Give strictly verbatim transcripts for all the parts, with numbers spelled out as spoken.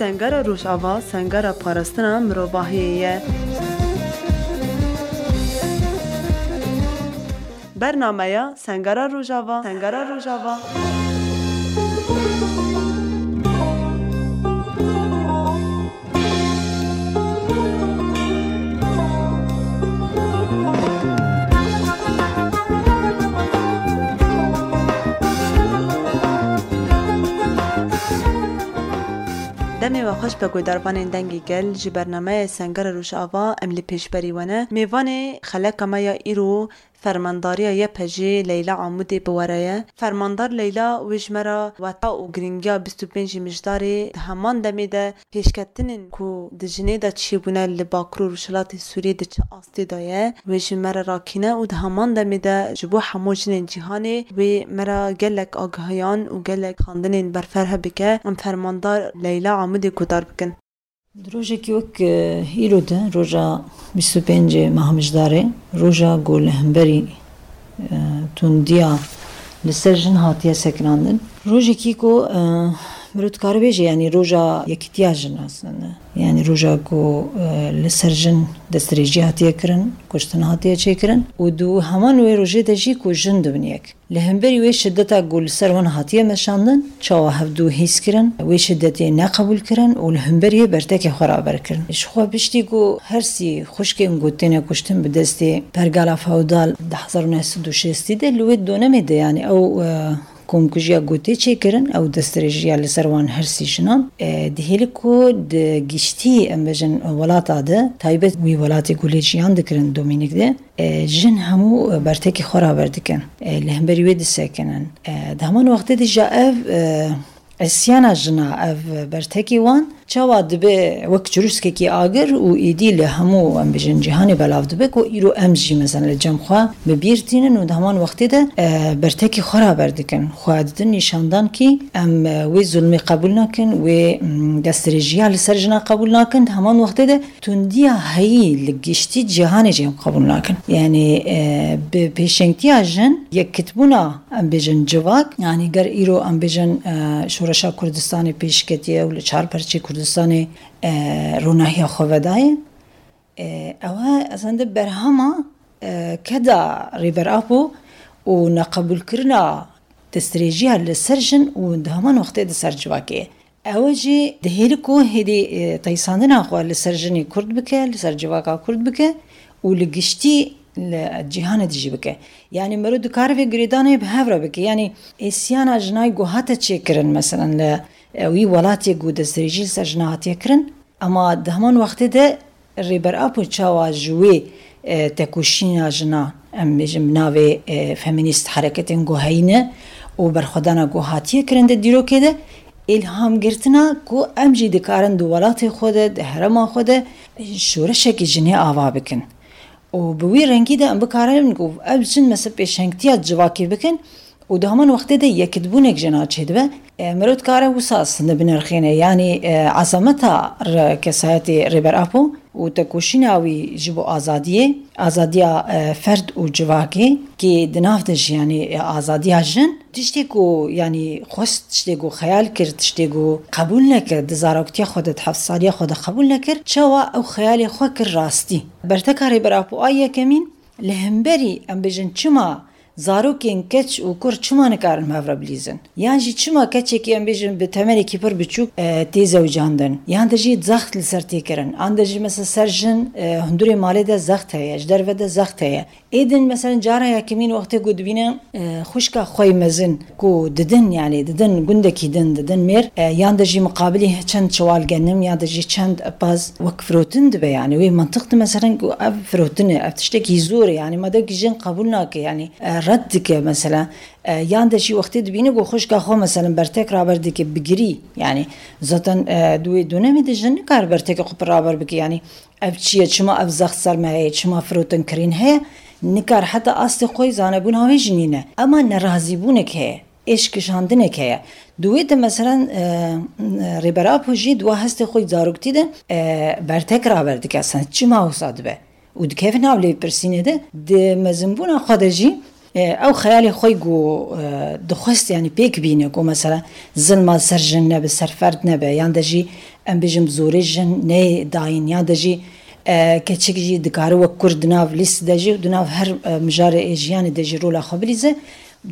Sengera Rojava, sengera parastina mirovahiyê ye. Bernameya Sengera Rojava, Sengera Rojava. Demê we xweş be guhdarvanên Dengê Gel, ji bernameya Sengera Rojava em li pêşberî we ne. Mêvanê xeleka me ya îro Fermandariya Y P G Leyla Amûdê bi we re ye. Fermandar Leyla wê ji me re weta û girîngiya bîst û pêncî Mijdarê di heman demê de pêşketinên ku di jinê de çêbûne li Bakur û Rojhilatê Sûriyê di çi astê de ye, wê ji me re rakîne û di heman demê de ji bo hemû jinên cîhanê wê me re gelek agahiyan û gelek xandinên berferh bike. Em Fermandar Leyla Amûdê guhdar bikin. Di rojekî wek, e, îro de, roja bîst û pêncê meha Mijdarê, roja ku li hemberî, e, tundiya li ser jin hatiye sekinandin. Rojekî ku, e, mirov dikare bêje, yanî roja yekîtiya jin aslında. Yanî roja ku, e, li ser jin destdirêjî hatiye kirin, kuştin hatiye çêkirin û di heman wê rojê de jî ku jin dibin yek. Li hemberî wê şideta ku li ser wan hatiye meşandin, çawa hevdû hîs kirin, wê şidetê neqebûl kirin û li hemberî wê bertekê xwe raber kirin. Ji xwe piştî ku her sî xwişkên ku têne kuştin bi destê pergala feodal di hezar û neh sed û şêstî de li wê donemê de, yanî ew, e, komkujiya ku tê çêkirin, ew destdirêjiya li ser wan her sî jinan, e, dihêlin ku di giştî, em bêjin, welata de, taybet wî welatê ku lê jiyan dikirin Domînîk de, e, jin hemû, e, bertekî xwe raber dikin. E, li hemberî wê disekinin. E, di heman wextê de jî ev, e, îsyana jina, ev bertekî wan çawa dibe wek çirûskekî agir û êdî li hemû, em bêjin, cîhanê belav dibe ku îro em jî, mesela, li cem xwe bi bîr tînin û di heman wextê de, e, bertekî xwe raber dikin. Xwe didin nîşandan kî em, e, wê zulmê qebûl nakin, wê, mm, destdirêjiya li ser jina qebûl nakin. Di heman wextê de tundiya heyî li giştî cîhanê jî em qebûl nakin. Yanî, e, bi pêşengtiya jin, yekitbûna, em bêjin, civak, yanî ger îro, em bêjin, e, şoreşa Kurdistanê pêş ketiye û li çar perçê Kurdistanê, e, ronahiya xwe vedaye, e, ew e, ez hende berhema, e, keda Rêber Apo û neqebûlkirina destdirêjiya li ser jin û di heman wextê di ser civakê. Ew jî dihêlin ku hêdî, e, teysandina xwe li ser jinê Kurd bike, li ser civaka Kurd bike û li giştî li cîhanê de jî bike. Yanî mero dikare vê girêdanê bi hev re bike. Yanî îsyana jinayê ku hate çêkirin, meselen, li, e, wî welatê ku destdirêjî li ser jina hatiye kirin, ema di heman wextê de Rêber Apo çawa ji wê, e, tekoşîna jina, em bêjin bi navê, e, feminîst hereketên ku heyîne û berxwedana ku hatiye kirin di dîrokê de, îlham girtina ku em jî dikarin di welatê xwe de, di herêma xwe de şoreşekî jinê ava bikin. Û bi wî rengî de em bikarin ku ev jin, mesela, pêşengtiya civakê bikin û di heman wextê de yekitbûnek jina çêdibe. E, mirov dikare wisa aslında binirxîne, yanî, e, ezameta re-, kesayetê Rêber Apo û tekoşîna wî ji bo azadiyê, azadiya, e, ferd û civakê, kê di nav de jî, yanî, e, azadiya jin, tiştê ku, yanî, xwest, tiştê ku xeyal kir, tiştê ku qebûl nekir, di zaroktiya xwe de, di heft saliya xwe de qebûl nekir, çawa ew xeyalê xwe kir rastî. Berteka Rêber Apo a yekemîn, li hemberî, em bêjin, çima zarokên keç û kur çima nikarin bi hev re bilîzin? Yan jî çima keçekî, em bêjin, bi temenekî pir biçûk, e, tê zewicandin? Yan de jî zext li ser tê kirin? An de jî, mesela, ser jin, e, hundurê malê de zext heye, ji derve de zext heye. Êdin, mesela, cara yekemîn wextê ku dibîne, e, xwişka xwe yê mezin ku didin, yanî didin gundekî din, didin mêr, e, yan de jî miqabilî çend çiwal genim, yan de jî çend pez wek firotin dibe, yanî wê mantiq de, mesela, ku ev firotin e, ev tiştekî zor e, yanî madem ku jin qebûl nake, yanî, e, red dike, mesela, e, yan de jî wextê dibîne ku xwişka xwe, mesela, bertek raber dike, bigirî, yanî zaten, e, di wê donemê de jin nikare bertekê xwe pir raber bike, yanî ev çi ye, çima ev zext ser me heye, çima firotin kirîn heye, nikar heta astê xwe yê zanebûna wê jî nîne. Ema nerazîbûnek heye, êş kişandinek heye. Di wê de, meselen, e, Rêber Apo jî di wa hestê xwe yê zaroktî de, e, bertek raber dike, sen çima wisa dibe? Û dikeve nav lêpirsînê de, di mezinbûna xwe de jî E, ew xeyalê xwe ku, e, dixwest, yanî pêk bîne ku mesela zilma ser jin nebe, ser ferd nebe, yan de jî em bêjin bi zorê jin neyê dayîn, yan de jî, e, keçik jî dikare wek kurd di nav lîst de jî û di nav her, e, mijarê ê jiyanê de jî rola xwe bilîze,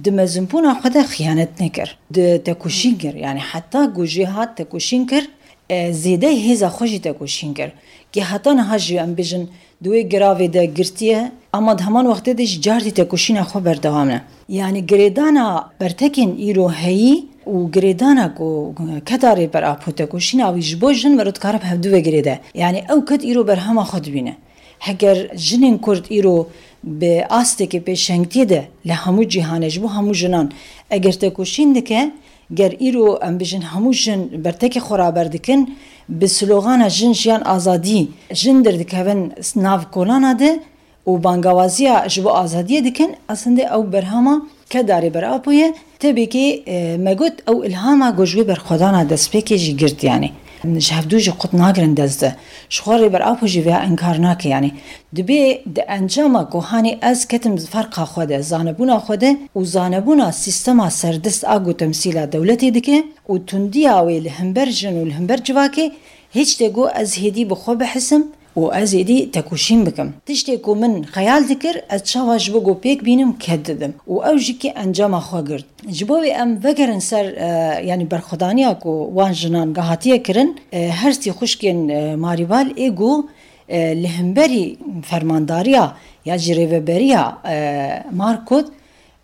di mezinbûna xwe de xiyanet nekir. Di tekoşîn kir, yanî heta ku jê hat tekoşîn kir, e, zêdeyî hêza xwe jî tekoşîn kir. Kê heta niha jî em bêjin di wê giravê de girtiye, ama di heman wextê de jî cardî tekoşîna xwe berdewam e. Yanî girêdana bertekên îro heyî û girêdana ku keda Rêber Apo tekoşîna wî ji bo jin mero dikare bi hevdu ve girêde. Yanî ew ked îro berhema xwe dibîne. Heger jinên Kurd îro bi astekê pêşengtiyê de li hemû cîhanê ji bo hemû jinan eger tekoşîn dike, ger îro em bijin hemû jin bertekê xwe raber dikin, bi slogana jin, jiyan, azadî jin derdikevin nav kolana de û bangawaziya ji bo azadiyê dikin, aslinde ew berhama keda Rêber Apo ye. Tebî kê, e, me got ew îlhama ku ji wê berxwedana destpêkê jî girt, yanî ji hevdû jî qut nagirin dest de. Ji xwe Rêber Apo jî vêya înkar nake, yanî dibê di encama ku hanê ez ketim ferqa xwe de, zanebûna xwe de û zanebûna sîstema serdest a ku temsîla dewletê dike û tundiya wê li hember jin û li hember civakê, hêç tê got ez hêdî bi xwe bihisim û ez êdî tekoşîn bikim. Tiştê ku min xeyal dikir, ez çawa ji bo ku pêk bînim, ked didim û ew jî kê encama xwe girt. Ji bo wê em vegerin ser, e, yanî berxwedaniya ku wan jinan gahatiye kirin, e, her sî xwişkên, e, Marîbal ê ku, e, li hemberî fermandariya ya jî rêveberiya, e, Markot,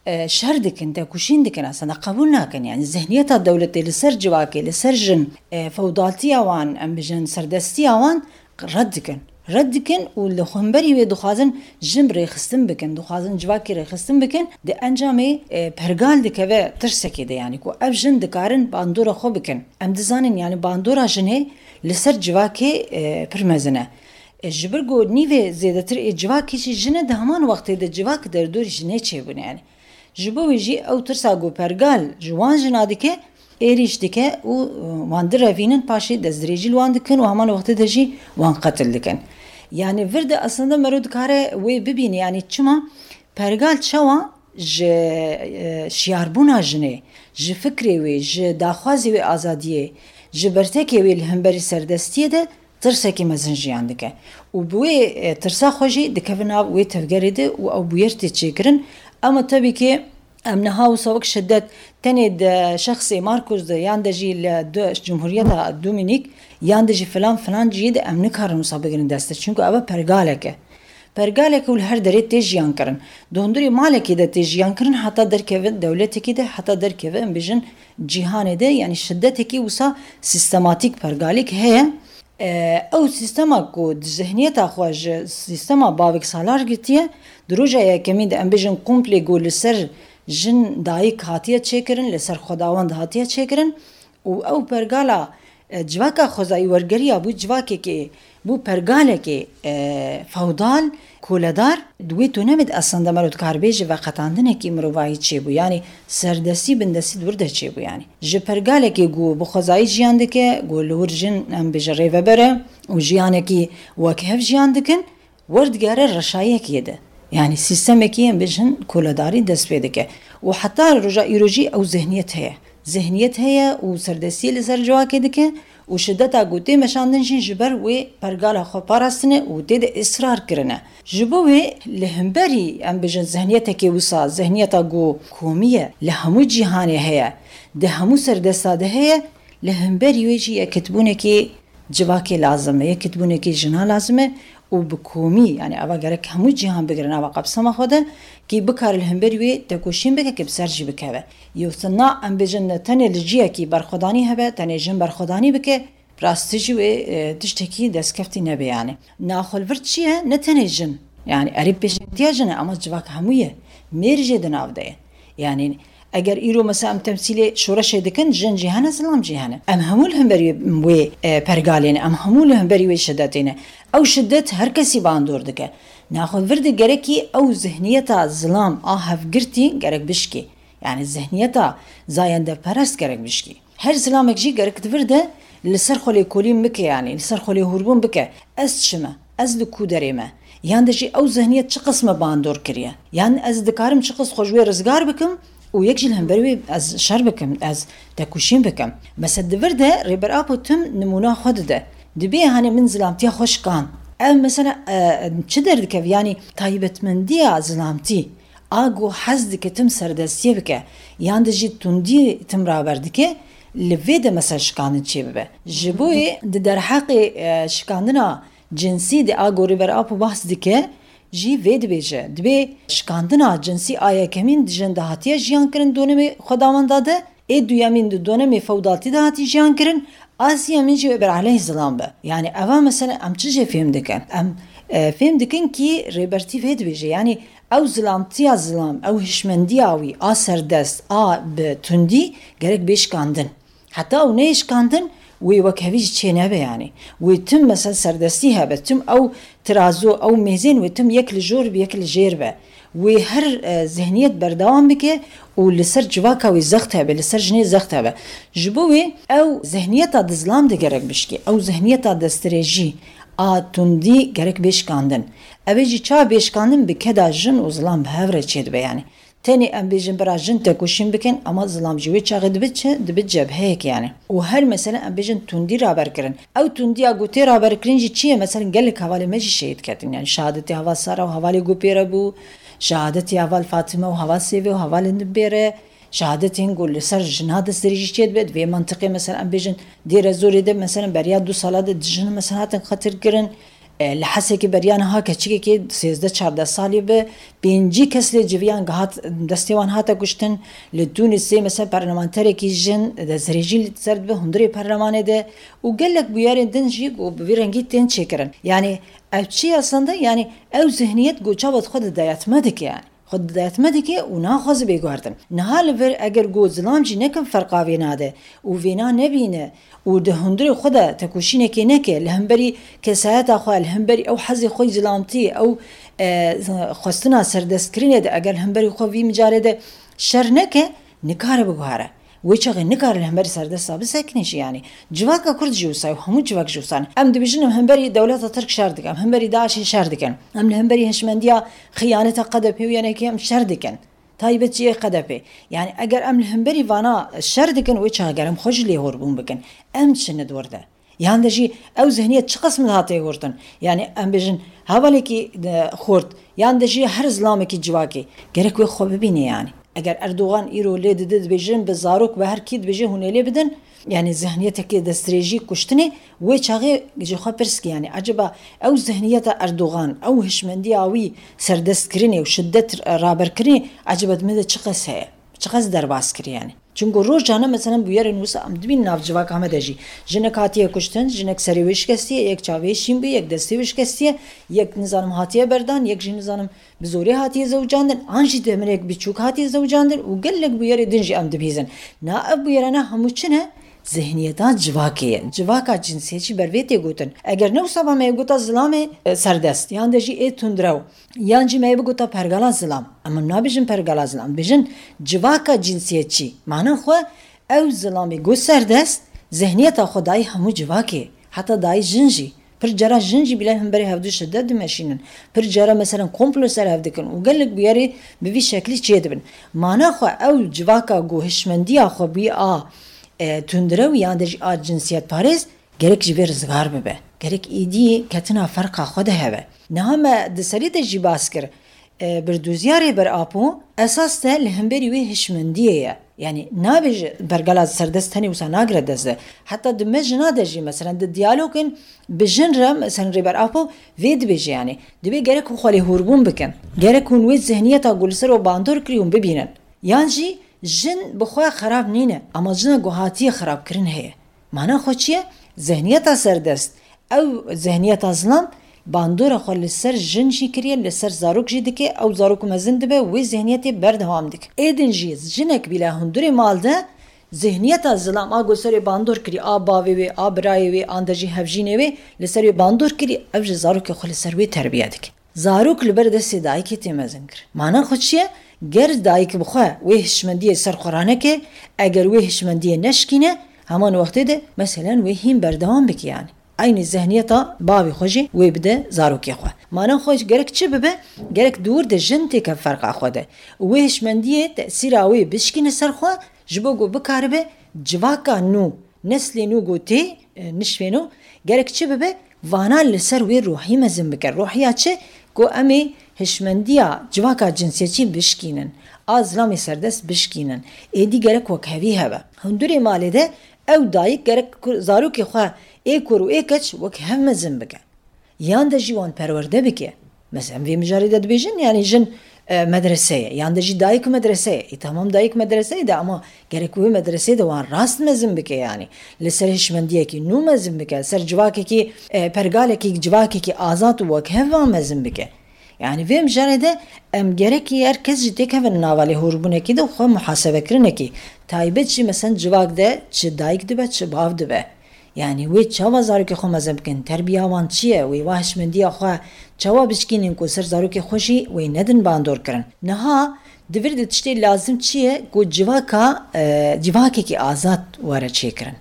e, şer dikin, tekoşîn dikin, aslında qebûl nakin. Yanî zihniyeta dewletê li ser civakê, li ser jin, e, fewdaltiya wan, em bijin serdestiya wan red dikin. Red dikin û li hemberî wê dixwazin jin rêxistin bikin, dixwazin civakê rêxistin bikin. Di encamê, e, pergal dikeve tirsekê de, yanî ku ev jin dikarin bandora xwe bikin. Em dizanin, yanî bandora jinê li ser civakê, e, pir mezin e. E, ji ber ku nîvê zêdetir ê civakê jî jin e, di heman wextê de civak derdorî jinê çêbûne, yanî. Ji bo wê jî ew tirsa ku pergal ji wan jina dike, êrîş dike û, e, wan direvînin, paşê destdirêjî li wan dikin û heman wextê de jî wan qetil dikin. Yanî vir de aslında mero dikare wê bibîne, yanî çima pergal çawa ji, e, şiyarbûna jinê, ji fikrê wê, ji daxwazê wê azadiyê, ji bertekê wê li hemberî serdestiyê de tirsekî mezin jiyan dike. Û bi wê, e, tirsa xwe jî dikeve nav wê tevgerê de û ew bûyer tê çêkirin. Ama tebî ki em niha wisa wek şiddet tenê di şexsê Markus de yan de jî li du-, Cumhuriyeta Dominik yan de jî filan filan cihê de em nikarin wisa bigirin dest de. Çunku ev e pergalek e. Pergalek û li her derê tê jiyan kirin. Di hundirê malekê de tê jiyan kirin, heta derkeve dewletekê de, heta derkeve, em bijin, cîhanê de, yanî şiddetekî wisa sîstematîk pergalîk heye. E, ew sîstema ku di zihniyeta xwe ji sîstema bavek salar girtiye, di roja yekemîn de, em bijin, komplê ku li ser jin dayik hatiye çêkirin, li ser xwedawend hatiye çêkirin û ew pergala, e, civaka xwezayî wergeriya bû civakekê, bû pergalekê, e, fewdal, koledar. Di wê tonemê de aslında mero dikar bêje veqetandinekî mirovayî çêbû, yanî serdestî bindestî di wir de çêbû, yanî. Ji pergalekê ku bi xwezayî jiyan dike, ku li wir jin, em bêje, rêveber e û jiyanekî wek hev jiyan dikin, werdigere reşayekê de. Yanî sîstemekî, em bêjin, koledarî dest pê dike. Û heta roja îro jî ew zihniyet heye. Zihniyet heye û serdestiyê li ser civakê dike û şideta ku tê meşandin jî ji ber wê pergala xwe parastine û tê de israr kirine. Ji bo wê li hemberî, em bêjin, zihniyetekê wisa, zihniyeta ku komî ye, li hemû cîhanê heye, di hemû serdesta de heye, li hemberî wê jî yekitbûnekê civakê lazim e, yekitbûnekê jina lazim e û bi komî, yanî eva gerek hemû cîhan bigire nava qepsema xwe de, kî bikare li hemberî wê tekoşîn bike, kî bi ser jî bikeve. Yewsa na, em bêjin, ne tenê li ciyekî berxwedanî hebe, tenê jin berxwedanî bike, rastî jî wê, e, tiştekî destkeftî nebe, yanî. Naxwe li vir çi ye? Ne tenê jin. Yanî erê pêşengtiya jin e, ama civak hemû ye. Mêr jê di nav de ye. Yanî eger îro mesela em temsîlê şoreşê dikin, jin jî hene, zilam jî hene. Em hemû li hemberî wê, e, pergalê ne, em hemû li hemberî wê şidetê ne. Ew şidet her kesî bandor dike. Naxwe vir de gerekî ew zihniyeta zilam a hevgirtî gerek bişkî. Yanî zihniyeta zayendeperest gerek bişkî. Her zilamek jî gerek di vir de li ser xwe lêkolîn bike, yanî li ser xwe lêhûrbûn bike. Ez çi me? Ez li ku derê me? Yan de jî ew zihniyet çi qis me bandor kiriye? Yan ez dikarim çi qis xwe ji wê rizgar bikim û yek jî li hember wê ez şer bikim, ez tekoşîn bikim? Mesela di vir de Rêber Apo tim nimûna xwe dide. Dibê, hani, min zilamtiya xwe şikan. Ev mesela, e, çi derdikeve? Yanî taybetmendiya zilamtî, a ku hez dike tim serdestiyê bike, yan de jî tundî tim raber dike, li vê de mesela şikandin çêbibe. Ji bo yê di derheqê, e, şikandina cinsî de a ku Rêber Apo behs dike, jî vê dibêje. Dibê şikandina cinsî a yekemîn di jin de hatiye jiyan kirin, donemê xwedawenda de, ê duyemîn di donemê fewdaltî de hatî jiyan kirin, a siyemîn jî ber aleyh zilam be. Yanî eva mesela em çi jê fêm dikin? Em, e, fêm dikin kî Rêbertî vê dibêje. Yanî ew zilamtiya zilam, ew hişmendiya wî a serdest, a bi tundî gerek bê şikandin. Heta ew neyê şikandin, wê wekhevî jî çê nebe yanî. Wê tim mesela serdestî hebe, tim ew tirazo, ew mêzên wê tim yek li jor bi yek li jêr be. Wê her, e, zihniyet berdewam bike û li ser civaka wê zext hebe, li ser jinê zext hebe. Ji bo wê ew zihniyeta di zilam de gerek bişkê. Ew zihniyeta destdirêjî a tundî gerek bê şikandin. Ev ê jî çawa bê şikandin? Bi keda jin û zilam bi hev re çêdibe yanî. Tenê em bêjin bira jin tekoşîn bikin, ama zilam jî wê çaxê dibe çi? Dibe cebheyek yanî. Û her mesele em bêjin tundî raber kirin. Ew tundiya ku tê raber kirin jî çi ye? Mesela gelek hevalê me jî şehîd ketin. Yanî şehadetê heval Sara û hevalê ku pê re bû, şehadetê heval Fatime û heval Sêvê û hevalên din pê re, şehadetên ku li ser jina destdirêjî çêdibe. Di vê mentiqê mesela em bêjin Dêre Zorê de mesela beriya du sala de di jin mesela hatin qetil kirin. E, li Hesekê beriya niha keçikekê sêzdeh çardeh salî bi pêncî kes lê civiyan gihat, destê wan hate kuştin. Li Tûnisê mesela parlamenterekî jin destdirêjî li ser dibe hundirê perlemanê de û gelek bûyerên din jî ku bi vî rengî tên çêkirin. Yanî ev çi ye aslında? Yanî ew zihniyet ku çawa xwe di dayatme dike yanî. Xwe di dayatme dike û naxwaze bê guhertin. Niha li vir eger ku zilam jî nekin ferqa vêna de û vêna nebîne û di hundirê xwe de tekoşînekê neke, li hemberî kesayeta xwe, li hemberî ew hezê xwe zilamtî, ew, e, xwestina serdestkirinê de eger li hemberî xwe vî micarê de şer neke, nikare biguhere. Wê çaxê nikare li hemberî serdesta bisekine jî yanî. Civaka Kurd jî wisa ye û hemû civak jî wisa ne. Em dibêjin em hemberî dewleta Tirk şer dikin, em hemberî DAIŞê şer dikin. Em li hemberî hişmendiya xiyaneta K D P û Y N K'ê em şer dikin. Taybet jî yê K D P. Yanî eger em li hemberî vana şer dikin, wê çaxê ger em xwe ji lêhorbûn bikin. Em çi ne di wir de? Yan de jî ew zihniyet çi qas min hate gotin? Yanî em bêjin hevalekî, e, xurt, yan de jî her zilamekî civakê gerek wê xwe bibîne yanî. Eger Erdogan îro lê dide dibêjin bi zarok, bi her kî dibêje hûn ê lê bidin, yanî zihniyetekê destdirêjî kuştinê, wê çaxê ji xwe pirs kir yanî eceba ew zihniyeta Erdogan, ew hişmendiya wî serdestkirinê û şiddet raberkirinê eceba di me de çiqas heye? Çiqas derbas kiriye yanî. Çunku rojane, meselen, bûyerên wisa em dibînin nav civaka me de jî. Jinek hatiye kuştin, jinek serê wê şikestiye, yek çavê şîn bû, yek destê wê şikestiye, yek, nizanim, hatiye berdan, yek jî, nizanim, bi zorê hatiye zewicandin, an jî demirek biçûk hatiye zewicandin û gelek bûyerê din jî em dibîzin. Na ev bûyerane hemû çi ne? Zihniyeta civakê ye. Civaka cinsiyetçî ber vê tê gotin. Eger ne wisa ba me yê gota zilamê, e, serdest, yan de jî ê tundrew, yan jî me yê bigota pergala zilam. Em nabêjin pergala zilam, bêjin civaka cinsiyetçî. Mana xwe ew zilamê got serdest, zihniyeta xwe dayî hemû civakê. Heta dayî jin jî. Pir cara jin jî bîle hemberî hevdû şiddet dimeşînin. Pir cara, meselen, komplo ser hev dikin û gelek bûyerê bi vî şeklî çêdibin. Mana xwe ew civaka ku hişmendiya xwe bûyî a, e, tundrew yan de jî a cinsiyetparêz, gerek ji vê rizgar bibe. Gerek êdî ketina ferqa xwe de hebe. Niha me di serî de jî bas kir. E, birdoziya Rêber Apo esas de li hemberî wê hişmendiyê ye. Yanî nabêje pergala serdest tenê wisa nagire dest de. Heta di me jina de jî, meselen, di diyalogên bi jin re, meselen, Rêber Apo vê dibêje, yanî dibê gerek hûn xwe lê hûrbûn bikin. Gerek hûn wê zihniyeta ku li ser we bandor kirî hûn bibînin. Yan jî jin bi xwe xerab nîne, ama jina ku hatiye xerabkirin heye. Mana xwe çi ye? Zihniyeta serdest. Ew zihniyeta zilam bandora xwe li ser jin jî kiriye, li ser zarok jî dike, ew zarok mezin dibe, wê zihniyetê berdewam dike. Êdin jî jinek bîle hundirê mal de zihniyeta zilam a ku serê bandor kirî, a bavê wê, a birayê wê, an de jî hevjînê wê li ser wê bandor kirî, ev ji zarokê xwe li ser wê terbiye dike. Zarok li ber destê dayikê tê mezin kir. Mana xwe çi ye? Ger dayik bi xwe wê hişmendiyê ser xwe raneke, eger wê hişmendiyê neşkîne, heman wextê de, meselen, wê hîn berdewam bike, yanî. Eynî zihniyeta bavê xwe jî wê bide zarokê xwe. Mana xwe gerek çi bibe? Gerek di wir de jin têke ferqa xwe de. Wê hişmendiyê tesîra wê bişkîne ser xwe, ji bo ku bikaribe civaka nû, neslê nû ku tê, e, nişvêno, gerek çi bibe? Vana li ser wê ruhî mezin bike. Ruhiya çi? Ku em ê hişmendiya civaka cinsiyetçî bişkînin, a zilamê serdest bişkînin. Êdî gerek wekhevî hebe. Hundurê malê de ew dayik gerek ku-, zarokê xwe ê kur û ê keç wek hev mezin bike. Yan de jî wan perwerde bike. Mesela, em vê mijarê de dibêjin, yanî jin, e, medrese ye, yan de jî dayik medrese ye. Ê, tamam, dayik medrese ye de, ama gerek wê medreseyê de wan rast mezin bike, yanî li ser hişmendiyekî nû mezin bike, li ser civakekî, e, pergalekî, civakekî azad û wekhev wan mezin bike. Yanî vê mijarê de em gerekî her kes jî têkevin nava lêhûrbûnekî de û xwe muhasebekirinekî taybet jî, mesela, civak de çi dayik dibe, çi bav dibe. Yanî wê çawa zarokê xwe mezin bikin? Terbiya wan çi ye? Wê wa hişmendiya xwe çawa bişkînin ku ser zarokê xwe jî wê nedin bandor kirin? Niha di vir de tiştê lazim çi ye ku civaka, e, civakekî azad were çêkirin?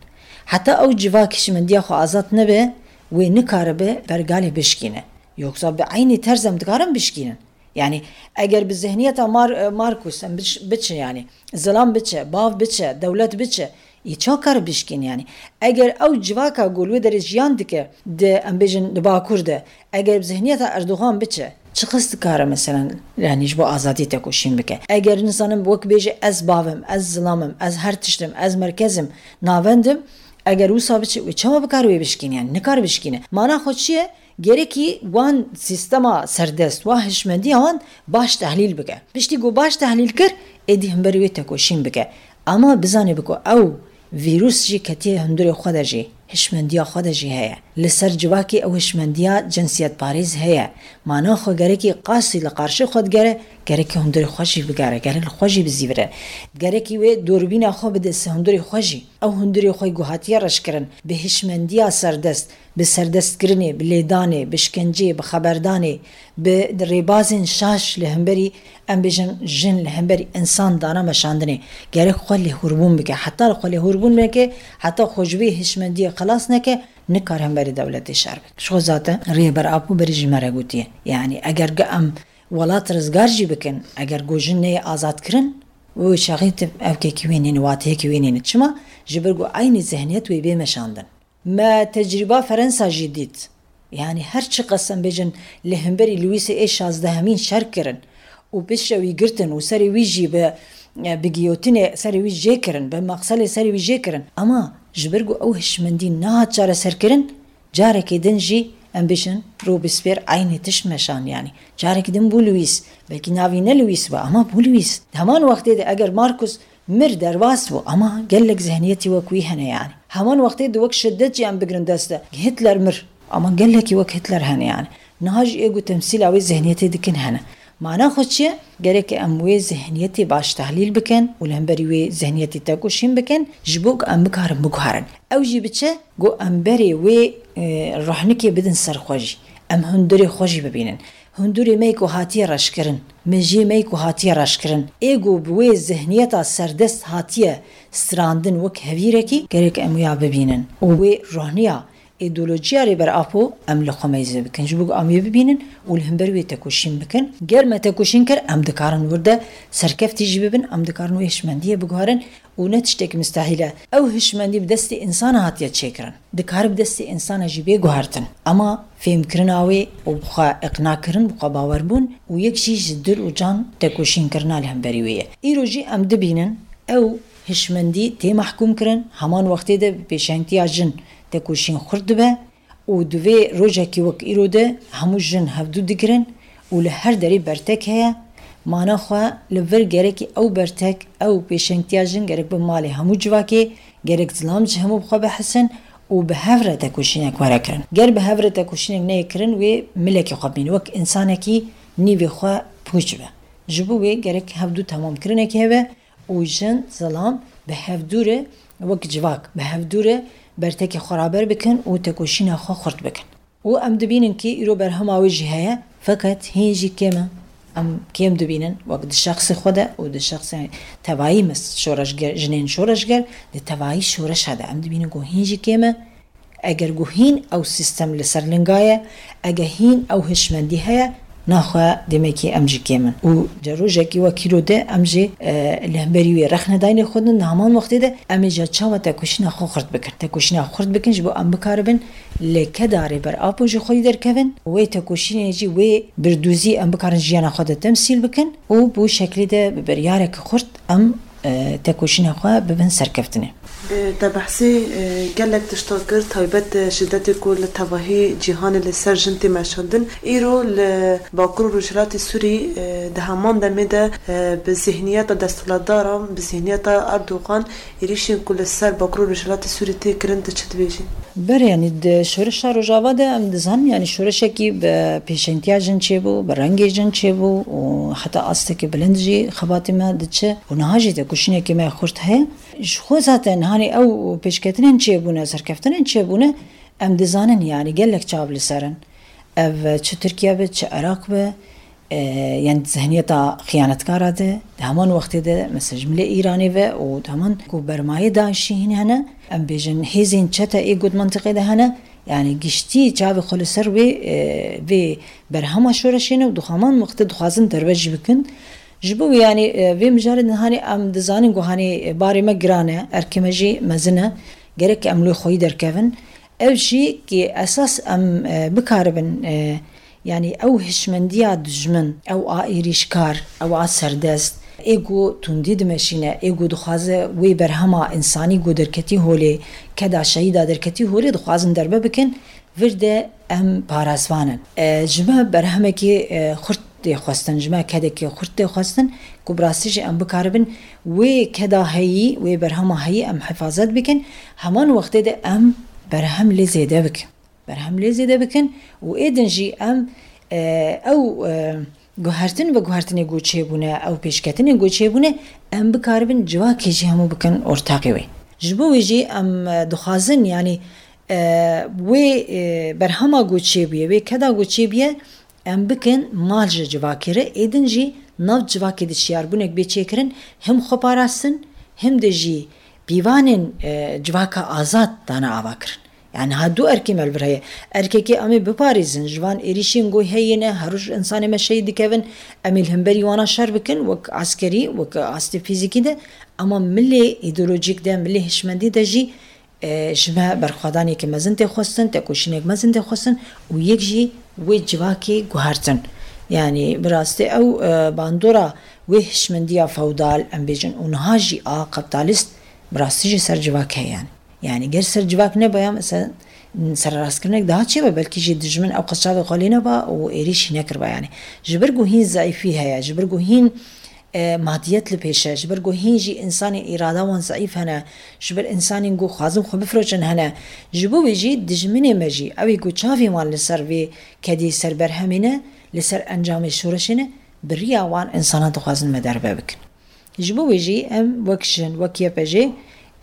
Heta ew civak hişmendiya xwe azad nebe, wê nikaribe pergalê bişkîne. Yoksa bi eynî terz em dikarin bişkînin. Yanî eger bi zihniyeta Mar-, e, Markus em biç-, biçin, yanî zilam biçe, bav biçe, dewlet biçe, yê çawa kar bişkîn yanî? Eger ew civaka ku li wê derê jiyan dike, di, em bêjin, di Bakur de, eger bi zihniyeta Erdogan biçe, çiqas dikare, meselen, yanî ji bo azadiyê tekoşîn bike? Eger, nizanim, wek bêje, ez bav im, ez zilam im, ez her tişt im, ez merkez im, navend im, eger wisa biçe, wê çawa bikare wê bişkîne? Yanî nikare bişkîne. Mana xwe çi ye? Gerekî wan sîstema serdest, wan hişmendiya wan baş tehlîl bike. Piştî ku baş tehlîl kir, êdî himberî wê tekoşîn bike. Ama bizanî biko ew vîrus jî ketiye hundirê xwe de jî, hişmendiya xwe de jî heye. Li ser civakê ew hişmendiya cinsiyetparêz heye. Mana xwe gerekî qasî li qarşê xwe digere, gerekî hundirê xwe jî bigere, gerek li xwe jî bizîvire. Gerekî wê dûrbîna xwe bide ser hundirê xwe jî. Ew hundirê xwe ku hatiye reşkirin, bi hişmendiya serdest, bi serdestkirinê, bi lêdanê, bi şkenceyê, bi xeberdanê, bi rêbazên şaş li hemberî, em bêjin, jin li hemberî însan dana meşandinê. Gerek xwe lêhûrbûn bike. Heta li xwe lêhûrbûn neke, heta xwe ji vê hişmendiyê xelas neke, nikare hemberî dewletê şer bike. Ji xwe zaten Rêber Apo berî ji me re gotiye. Yanî eger ge em welat rizgar jî bikin, eger ku jin neyê azad kirin, wê çaxê tu ev kekî wê nîne, wateyekî wê nîne. Çima? Ji ber ku eynî zihniyet wê bê meşandin. Me tecrîba Ferensa jî dît. Yanî her çiqas em bêjin li hemberî Lewîsê ê şazdehemîn şer kirin û piştre wî girtin û serê wî jî bi, bi giyotinê serê wî jê kirin, bi maqselê serê wî jê kirin. Ama ji ber ku ew hişmendî nehat çareserkirin, carekê din jî, em bêjin, Robespierre eynî tişt meşand, yanî. Carekê din bû Lewîs. Belkî navî ne Lewîs be, ama bû Lewîs. Heman wextê de eger Markus mir derbas bû, ama gelek zihniyetî wek wî hene, yanî. Heman wextê de wek şiddet jî em bigrin dest de. Hitler mir, ama gelekî wek Hitler hene, yanî. Niha jî ê ku temsîla wê zihniyetê dikin hene. Mana xwe çi ye? Gerek em wê zihniyetê baş tehlîl bikin û li hemberî wê zihniyetê tekoşîn bikin, ji bo ku em bikarin biguherin. Ew jî bi çi? Ku em berê wê, e, ruhnikê bidin ser xwe jî. Em hundirê xwe jî bibînin. Hundirê me ku hatiye reşkirin, mejiyê me ku hatiye reşkirin, ê ku bi wê zihniyeta serdest hatiye strandin wek hevîrekî, gerek em wîya bibînin. Û wê ruhniya, îdeolojiya Rêber Apo em li xwe meyze bikin. Ji bo ku em wê bibînin û li hember wê tekoşîn bikin. Ger me tekoşîn kir, em dikarin wir de serkeftî jî bibin, em dikarin wê hişmendiyê biguherin û ne tiştekî mistehîl e. Ew hişmendî bi destê însana hatiye çêkirin. Dikare bi destê însana jî bê guhertin. Ema fêmkirina wê û bi xwe iqnakirin, bi xwe bawerbûn û yek jî ji dil û can tekoşînkirina li hemberî wê ye. Îro jî em dibînin, ew hişmendî tê mehkûmkirin, heman wextê de bi pêşengtiya jin tekoşîn xurt dibe û di vê rojekî wek îro de hemû jin hevdû digirin û li her derî bertek heye. Mana xwe li vir gerekî ew bertek, ew pêşengtiya jin gerek bi malê hemû civakê, gerek zilam ji hemû bi xwe bihisin û bi hev re tekoşînek were kirin. Ger bi hev re tekoşînek neyê kirin, wê milekî xwe bîne, wek însanekî nîvê xwe pûç be. Ji bo wê gerek hevdû temamkirinekê hebe û jin, zilam bi hevdû re, wek civak bi hevdû re bertekê xwe raber bikin û tekoşîna xwe xurt bikin. Û em dibînin kî îro berhema wê jî heye, feqet hîn jî kêm e. Em kêm dibînin, wek di şexsê xwe de û di şexsê tevayî, mes şoreşger, jinên şoreşger, di tevayî şoreşa de em dibînin ku hîn jî kêm e. Eger ku hîn ew sîstem li ser linga ye, eger hîn ew hişmendî heye, naxwe demekî em jî kêm in. Û di rojekî wekî ro de em jî, e, li hemberî wê rexne dayînê xwe din, di heman wextê de em ê ji çawa tekoşîna xwe xurt bikin. Tekoşîna xwe xurt bikin ji bo em bikaribin li keda Rêber Apo jî xwedî derkevin. Wê tekoşînê jî wê birdûzî em bikarin jiyana xwe de temsîl bikin û bi wî şeklî de bi biryareke xurt em, e, tekoşîna xwe bibin serkeftinê. E, te behsê, e, gelek tişta kir, taybet, e, şidetê ku li tevahî cîhanê li ser jin tê meşandin. Îro li Bakur û Rojhilatê Sûrî, e, di heman demê de, e, bi zihniyeta desthilatdaran, bi zihniyeta Erdogan êrîşên ku li ser Bakur û Rojhilatê Sûrî tê kirin, tu çi dibêjî? Berê, yanî di şoreşa Rojava de em dizanin, yanî şoreşekî bi pêşengtiya jin çêbû, bi rengê jin çêbû û heta astekî bilind jî xebatê me diçe û niha jî tekoşînekî me xurt heye. Ji xwe zaten hanê ew pêşketinên çêbûne, serkeftinên çêbûne, em dizanin, yanî gelek çav li ser in. Ev çi Tirkiye be, çi Iraq be, e, yanî di zihniyeta xiyanetkara de, di heman wextê de, mesela ji milê Îranê ve û di heman ku bermayê DAIŞ'î hîn hene, em bêjin hêzên çete ê ku di mentiqê de hene, yanî giştî çavê xwe li ser wê, e, vê berhema şoreşê ne û di heman wextê dixwazin derve jî bikin. Ji bo wê, yanî, e, vê mijarê de hanê em dizanin ku hanê, e, barê me giran e, erkê me jî mezin e, gerek em li wê xweyî derkevin. Ev jî ki esas em, e, bikaribin, e, yanî ew hişmendiya dijmin, ew a êrîşkar, ew a serdest, ê ku tundî dimeşîne, ê ku dixwaze wê berhema însanî ku derketî holê, keda şehîda derketî holê dixwazin derbe bikin, vir de em parasvan in. E, ji me berhemekî, e, xurt tê xwestin, ji me kedekî xurt tê xwestin ku bi rastî jî em bikaribin wê keda heyî, wê berhema heyî em hifazet bikin. Heman wextê de em berhem lê zêde bikin. Berhem lê zêde bikin û ê din jî em, e, ew, e, guhertin ve guhertinê ku çêbûne, ew pêşketinên ku çêbûne, em bikaribin civakê jî hemû bikin ortaqê wê. Ji bo wê jî em, e, dixwazin, yanî, e, wê, e, berhema ku çêbûye, wê keda ku çêbûye, em bikin mal ji civakê re, ê din jî nav civakê de şiyarbûnek bê çêkirin, him xwe parastin, him de jî pîvanên, e, civaka azad dane ava kirin. Yanî ha du erkê me li vir heye. Erkekê em ê biparêzin, ji van êrîşên ku heyî ne, her roj însanê me şehîd dikevin, em ê li hemberî wana şer bikin, wek eskerî, wek astê fîzîkî de, ema milê îdeolojîk de, milê hişmendî de jî, e, ji me berxwedaneke mezin tê xwestin, tekoşînek mezin tê xwestin û yek jî wê civakê guhertin. Yanî bi rastî ew, e, bandora wê hişmendiya feodal, em bêjin, û niha jî a kapitalîst bi rastî jî ser civak heye yanî. Yanî ger ser civak nebaya, mesela sererastkirineke daha çêbe, belkî jî dijmin ew qas çavê xwe lê neba û êrîşî nekiriba yanî. Ji ber ku hîn zeîfî heye, ji ber ku hîn, e, madiyet li pêş e, ji ber ku hîn jî însanên îrada wan zeîf hene, ji ber însanên ku xwazin xwe bifiroşin hene. Ji bo wê jî dijminê me jî, ew ê ku çavên wan li ser vê kedî ser berhemê ne, li ser encamê şoreşê ne, bi riya wan însanan dixwazin me derve bikin. Ji bo wê jî em wek jin, wek Y P J,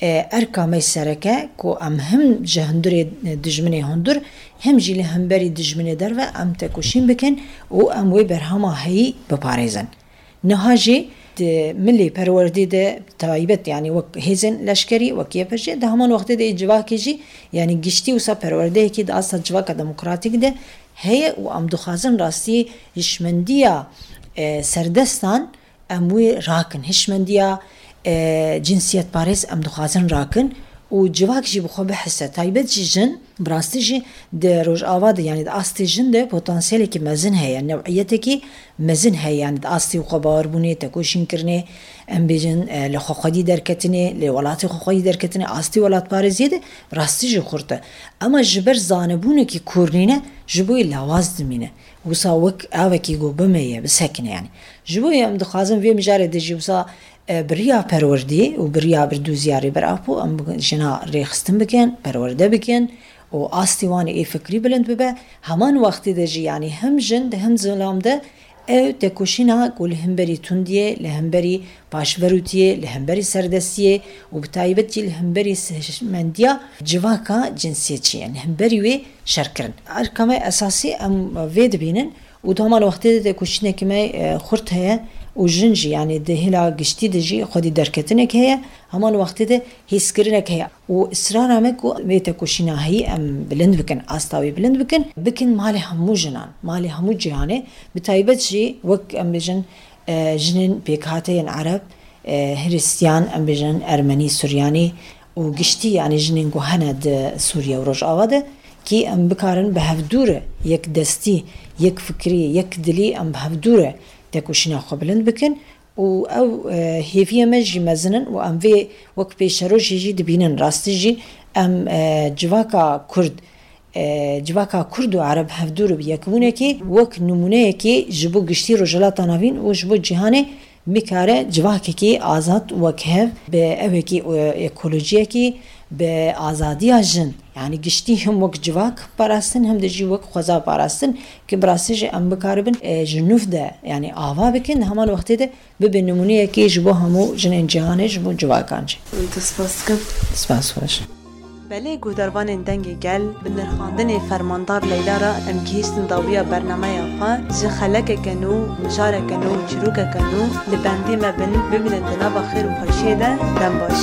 e, erka me sereke ku em him ji hundirê, e, dijminê hundir, him jî li hemberî dijminê derve em tekoşîn bikin û em wê berhema heyî biparêzin. Niha jî di milê perwerdê de taybet, yanî wek hêzên leşkerî, wek Y P J, di heman wextê de civakê jî, yanî giştî wisa perwerdeyekî di asta civaka demokratîk de heye û em dixwazin rastî hişmendiya, e, serdestan em wê rakin. Hişmendiya, e, cinsiyetparêz em dixwazin rakin û civak jî bi xwe bihise. Taybet jî jin, bi rastî jî di Rojava de, yanî di astê jin de potansiyelekî mezin heye, new'iyetekî mezin heye, yanî di astê xwebawarbûnê, tekoşînkirinê, em bêjin, e, li xwexwedî derketinê, li welatê xwexwedî derketinê, astê welatparêziyê de bi rastî jî xurt e. Ema ji ber zanebûnekî kûr nîne, ji bo wê lawaz dimîne. Wisa wek avekî ku bimeye, bisekine yanî. Ji bo wê em dixwazin vê mijarê de jî wisa, e, bi riya perwerdê û bi riya birdûziya Rêber Apo em bi jina rêxistin bikin, perwerde bikin û astê wan ê fikrî bilind bibe. Heman wextê de jî yanî him jin de him zilam de ew tekoşîna ku li hemberî tundiyê, li hemberî paşverûtiyê, li hemberî serdestiyê û bi taybet jî li hemberî hişmendiya civaka cinsiyetçî ye, li hemberî wê şer kirin. Erka me esasî em vê dibînin û di heman wextê de tekoşînekî me, e, xurt heye û jin jî, yanî di hêla giştî de jî xwedî derketinek heye, heman wextê de hêskirinek heye. Û israra me ku vê tekoşîna heyî em bilind bikin, asta wê bilind bikin, bikin malê hemû jinan, malê hemû cîhanê, bi taybet jî wek em bêjin, e, jinên pêkhateyên Ereb, e, Hiristiyan, em bêjin Ermenî, Suryanî û giştî, yanî jinên ku hene di Sûriye û Rojava de, kî em bikarin bi hevdû re yek destî, yek fikrî, yek dilî em bi hevdû re tekoşîna xwe bilind bikin û ew, e, hêviyê me jî mezin in û em vê wek pêşerojê jî dibînin. Rastî jî em, e, civaka Kurd, e, civaka Kurd û Ereb hevdû re bi yekbûnekê wek nimûneyekê ji bo giştî Rojhilata Navîn û ji bo cîhanê bikare civakekî azad wek hev bi ewekî, e, ekolojiyekî, bi azadiya jin, yanî giştî him wek civak parastin, him de jî wek xweza parastin, ki bi rastî jî em bikaribin, e, ji nûv de, yanî ava bikin, di heman wextê de bibe nimûneyekê ji bo hemû jinên cîhanê, ji bo civakan jî. Te spas dikim. Spas xweş. Belê guhdarvanên Dengê Gel, bi nirxandinê Fermandar Leyla re em gihîştin dawiya bernameya xwe. Ji xelekeke nû, mijareke nû, çîrokeke nû li bendê me bin, bimînin di nava xêr û xweşiyê de. Dem baş.